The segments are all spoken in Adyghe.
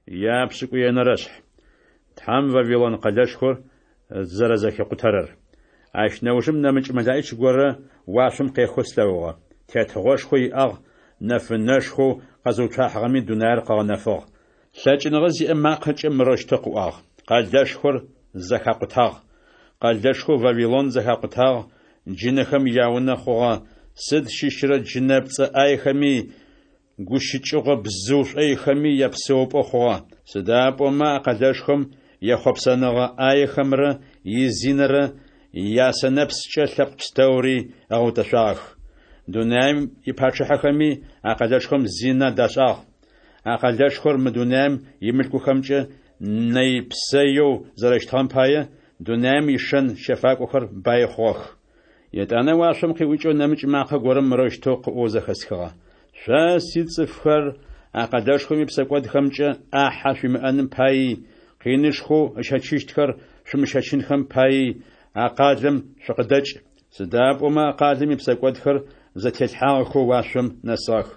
Япшӏыкӏуенэрэ шъхь. Тхьэм Вавилон къэлэшхор зэрэзэхикъутэрэр. Ащ нэужым нэмыкӏ мэлэӏич горэ уашъом къехэу слъэгъугъэ. Тетыгъошхо иӏагъ, нэфынэшхоу къэзыуцуахьыгъэми дунаир къыгъэнэфыгъ. Лъэкӏыныгъэ зиӏэ макъэкӏэ мырэущтэу къыӏуагъ: Къэлэшхор зэхакъутагъ! Къэлэшхоу Вавилон зэхакъутагъ, джынэхэм яунэ хъугъэ, сыд щыщрэ джынэпцӏэ ӏаехэми, гущыкӏыгъо бзыу шӏойхэми япсэупӏэу хъугъэ. Сыда пӏомэ а къэлэшхом ехъопсэныгъэ ӏаехэмрэ изинэрэ ясэнэпскӏэ лъэпкъ пстэури ыгъэутэшъуагъэх. Дунаим ипачъыхьэхэми а къэлэшхом зинэ дашӏагъ. А къэлэшхор мы дунаим имылъкухэмкӏэ нэй-псэеу зэрэщытыгъэм пае, дунаим ишэн щэфакӏохэр баи хъугъэх. Етӏанэ уашъом къиӏукӏэу нэмыкӏ макъэ горэм мырэущтэу къыӏоу зэхэсхыгъэ: Шъо, сицӏыфхэр, а къэлэшхом ипсэкӏодхэмкӏэ ӏахьэ шъуимыӏэным паий, къинышхоу ыщэчыщтхэр шъумыщэчынхэм паий а къалэм шъукъыдэкӏ, сыда пӏомэ а къалэм ипсэкӏодхэр зэтелъхьагъэхэу уашъом нэсыгъэх.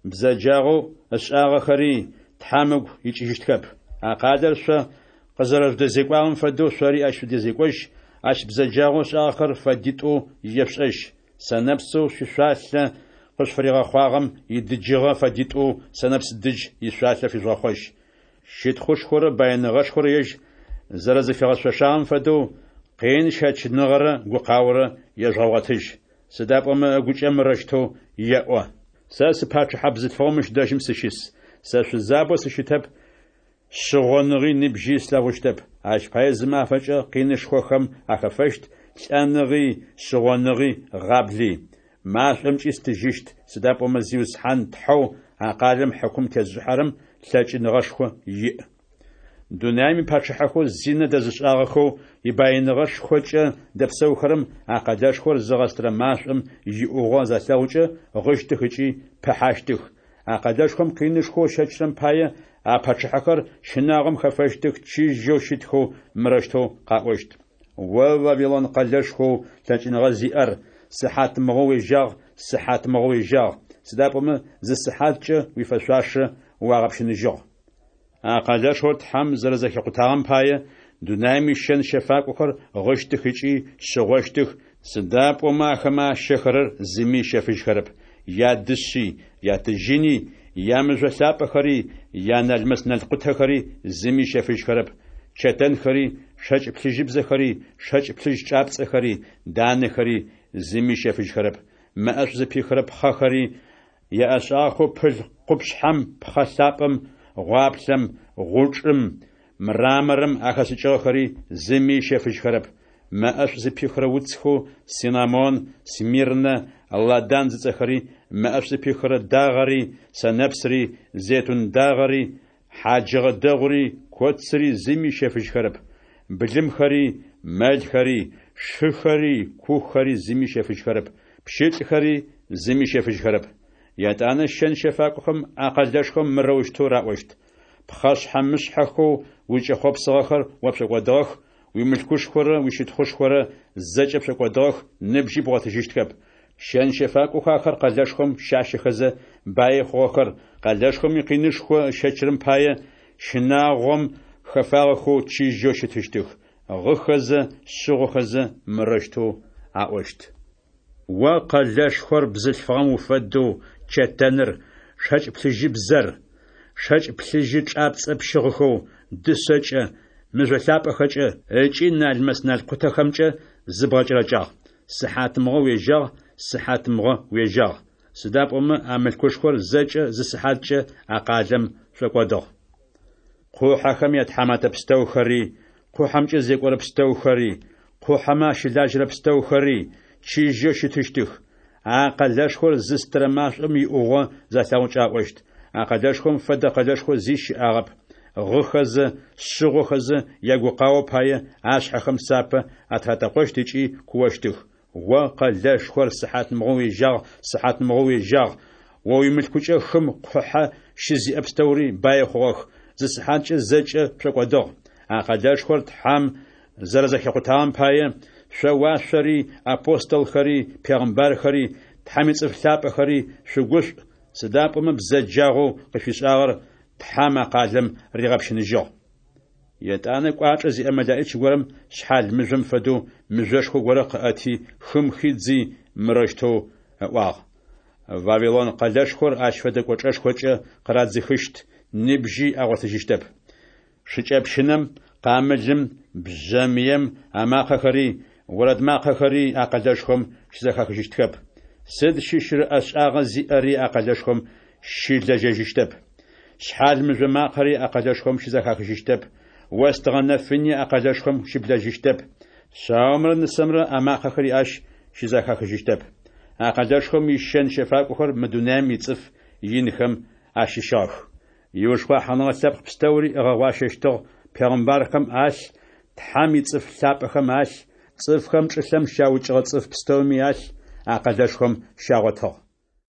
Бзэджагъэу ышӏагъэхэри Тхьэм ыгу икӏыжьыщтхэп. А къалэр шъо къызэрэжъудэзекӏуагъэм фэдэу шъори ащ шъудэзекӏожь, ащ бзэджагъэу ышӏагъэхэр фэдитӏоу ешъушӏэжь. Сэнэпсэу шъуишъуалъэ къышъуфыригъэхъуагъэм идыджыгъэ фэдитӏоу сэнэпс дыдж ишъуалъэ фижъугъэхъожь. Щытхъушхорэ баиныгъэшхорэ ежь зэрэзыфигъэшъошагъэм фэдэу, къин щэчыныгъэрэ гукъаорэ ежъугъэгъотыжь. Сыда пӏомэ ыгукӏэ мырэущтэу еӏо: Сэ сыпачъыхьэ бзылъфыгъэу мыщ дэжьым сыщыс. Сэ шъузабэу сыщытэп, шъыгъоныгъи ныбжьи слъэгъущтэп. Ащ пае зы мафэкӏэ къинышхохэм ахэфэщт, лӏэныгъи, шъыгъоныгъи, гъабли. Машӏомкӏи стыжьыщт, сыда пӏомэ Зиусхьан Тхьэу а къалэм хьыкум тезышӏыхьэрэм лъэкӏыныгъэшхо иӏ. Дунаим ипачъыхьэхэу зинэ дэзышӏагъэхэу ибаиныгъэшхокӏэ дэпсэухэрэм а къэлэшхор зыгъэстырэ машӏом иӏугъо залъэгъукӏэ гъыщтых ыкӏи пыхьащтых. А къэлэшхом къинышхоу ыщэчрэм пае а пачъыхьэхэр щынагъом хэфэщтых, чыжьэу щытхэу мырэущтэу къаӏощт: О Вавилон къэлэшхоу лъэкӏыныгъэ зиӏэр, сыхьатмыгъо уежьагъ, сыхьатмыгъо уежьагъ, сыда пӏомэ зы сыхьаткӏэ уифэшъуашэ уагъэпщыныжьыгъ. А къэлэшхор Тхьэм зэрэзэхикъутагъэм пае, дунаим ищэн щэфакӏохэр гъыщтых ыкӏи шъыгъощтых, сыда пӏомэ ахэмэ ащэхэрэр зыми ыщэфыжьхэрэп, ядышъи, ятыжьыни, ямыжъо лъапӏэхэри, яналмэс-налкъутэхэри зыми ыщэфыжьхэрэп, чэтэнхэри, шэкӏ плъыжьыбзэхэри, шэкӏ плъыжь чӏапцӏэхэри, данэхэри зыми ыщэфыжьхэрэп, мэӏэшӏу зыпихырэ пхъэхэри, яӏэшӏагъэхэу пыл къупшъхьэм, пхъэ лъапӏэм, гъуаплъэм, гъучӏым, мраморым ахэшӏыкӏыгъэхэри зыми ыщэфыжьхэрэп, мэӏэшӏу зыпихырэ уцхэу циннамон, смирнэ, ладан зыцӏэхэри, мэӏэшӏу зыпихырэ дагъэри, сэнэпсри, зейтун дагъэри, хьаджыгъэ дэгъури, коцыри зыми ыщэфыжьхэрэп, былымхэри, мэлхэри, шыхэри, кухэри зыми ыщэфыжьхэрэп, пщылӏхэри зыми ыщэфыжьхэрэп. Етӏанэ щэн-щэфакӏохэм а къэлэшхом мырэущтэу раӏощт: Пхъэшъхьэ-мышъхьэхэу узкӏэхъопсыгъэхэр о пшӏокӏодыгъэх, уимылъкушхорэ уищытхъушхорэ зэкӏэ пшӏокӏодыгъэх, ныбжьи бгъотыжьыщтхэп. Щэн-щэфакӏохэу ахэр къэлэшхом щащэхэзэ баи хъугъэхэр, къэлэшхом икъинышхо ыщэчрэм пае, щынагъом хэфагъэхэу чыжьэу щытыщтых, гъыхэзэ, шъыгъохэзэ мырэущтэу аӏощт. О къэлэшхор бзылъфыгъэм уфэдэу чэтэныр, шэкӏ плъыжьыбзэр, шэкӏ плъыжьы чӏапцӏэ пщыгъыхэу, дышъэкӏэ, мыжъо лъапӏэхэкӏэ ыкӏи налмэс-налкъутэхэмкӏэ зыбгъэкӏэрэкӏагъ. Сыхьатмыгъо уежьагъ, сыхьатмыгъо уежьагъ! Сыда пӏомэ а мылъкушхор зэкӏэ зы сыхьаткӏэ а къалэм шӏокӏодыгъ. Къухьэхэм ятхьаматэ пстэухэри, къухьэмкӏэ зекӏорэ пстэухэри, къухьэмэ ащылажьэрэ пстэухэри чыжьэу щытыщтых. А къэлэшхор зыстырэ машӏом иӏугъо залъэгъукӏэ аӏощт: А къэлэшхом фэдэ къэлэшхо зи щыӏагъэп. Гъыхэзэ, шъыгъохэзэ ягукъао пае ашъхьэхэм сапэ атыратэкъощт ыкӏи куощтых: О къэлэшхор, сыхьатмыгъо уежьагъ, сыхьатмыгъо уежьагъ! О уимылъкукӏэ хым къухьэ щызиӏэ пстэури баи хъугъэх, зы сыхьаткӏэ зэкӏэ пшӏокӏодыгъ. А къэлэшхор Тхьэм зэрэзэхикъутагъэм пае, шъо уашъори, апостолхэри, пегъымбархэри, Тхьэм ицӏыф лъапӏэхэри шъугушӏу, сыда пӏомэ бзэджагъэу къышъуишӏагъэр Тхьэм а къалэм ригъэпщыныжьыгъ. Етӏанэ кӏуачӏэ зиӏэ мэлэӏич горэм шъхьал мыжъом фэдэу мыжъошхо горэ къыӏэти, хым хидзи, мырэущтэу ыӏуагъ: Вавилон къэлэшхор ащ фэдэ кӏочӏэшхокӏэ къырадзыхыщт, ныбжьи агъотыжьыщтэп. Шыкӏэпщынэм, къамылым, бжъэмыем амакъэхэри, орэд макъэхэри а къэлэшхом щызэхэхыжьыщтхэп. Сыд щыщырэ ӏэшӏагъэ зиӏэри а къэлэшхом щылэжьэжьыщтэп. Шъхьал мыжъо макъэри а къэлэшхом щызэхахыжьыщтэп, остыгъэ нэфыни а къэлэшхом щыблэжьыщтэп, шъаомрэ нысэмрэ амакъэхэри ащ щызэхахыжьыщтэп. А къэлэшхом ищэн-щэфакӏохэр мы дунаем ицӏыф инхэм ащыщыгъэх. Иушхъуахьыныгъэ лъэпкъ пстэури ыгъэгъуащэщтыгъ, пегъымбархэм алъ, Тхьэм ицӏыф лъапӏэхэм алъ, цӏыфхэм чӏылъэм щаукӏыгъэ цӏыф пстэуми алъ а къэлэшхом щагъотыгъ.